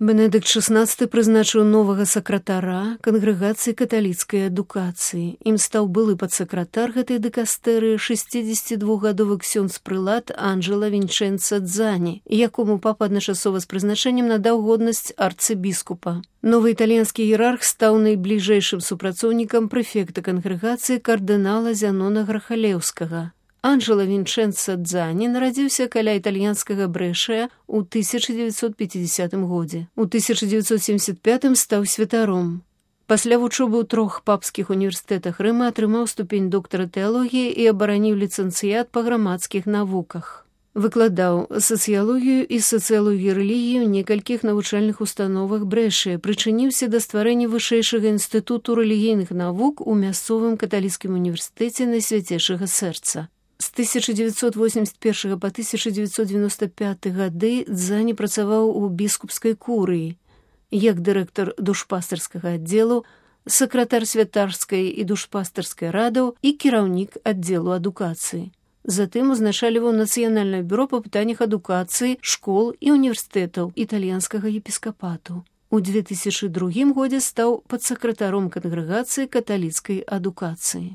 Бенедыкт XVI прызначыў новага сакратара кангрэгацыі каталіцкай адукацыі. Ім стаў былы падсакратар гэтай дыкастэрыі 62гадовы ксёндз-прылад Анджела Вінчэнца Дзані, якому папа адначасова з прызначэннем надаў годнасць арцыбіскупа. Новы італьянскі іерарх стаў найбліжэйшым супрацоўнікам прэфекта кангрэгацыі кардынала Зянона Грахалеўскага. Анджела Вінчэнца Дзані нарадзіўся каля італьянскага Брэшая ў 1950 годзе. У 1975 стаў святаром. Пасля вучобы ў 3 папскіх універсітэтах Рыма атрымаў ступень доктара тэалогіі і абараніў ліцэнцыят па грамадскіх навуках. Выкладаў сацыялогію і сацыялогію рэлігіі ў некалькіх навучальных установах Брэшая, прычыніўся да стварэння вышэйшага інстытуту рэлігійных навук у мясцовым каталіцкім універсітэце Найсвяцейшага Сэрца. З 1981 па 1995 гады Дзані працаваў у біскупскай курыі як дырэктар душпастарскага аддзелу, сакратар святарскай і душпастарскай радаў і кіраўнік аддзелу адукацыі. Затым узначальваў Нацыянальнае бюро па пытаннях адукацыі, школ і універсітэтаў італьянскага епіскапату. У 2002 годзе стаў падсакратаром кангрэгацыі каталіцкай адукацыі.